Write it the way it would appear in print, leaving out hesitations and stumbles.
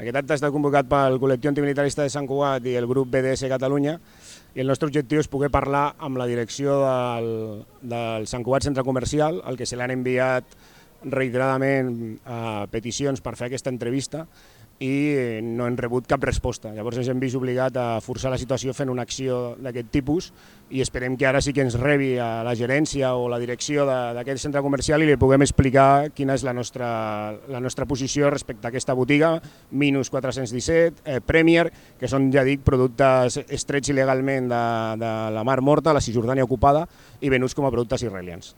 Aquest acte està convocat pel col·lectiu antimilitarista de Sant Cugat i el grup BDS Catalunya, i el nostre objectiu és poder parlar amb la direcció del Sant Cugat Centre Comercial, al que se l'han enviat reiteradament peticions per fer aquesta entrevista i no hem rebut cap resposta. Llavors ens hem vist obligat a forçar la situació fent una acció d'aquest tipus i esperem que ara sí que ens rebi a la gerència o la direcció d'aquest centre comercial i li puguem explicar quina és la nostra posició respecte a aquesta botiga, Minus 417, Premier, que són, ja dic, productes extrets il·legalment de la Mar Morta, la Cisjordània ocupada, i venuts com a productes israelians.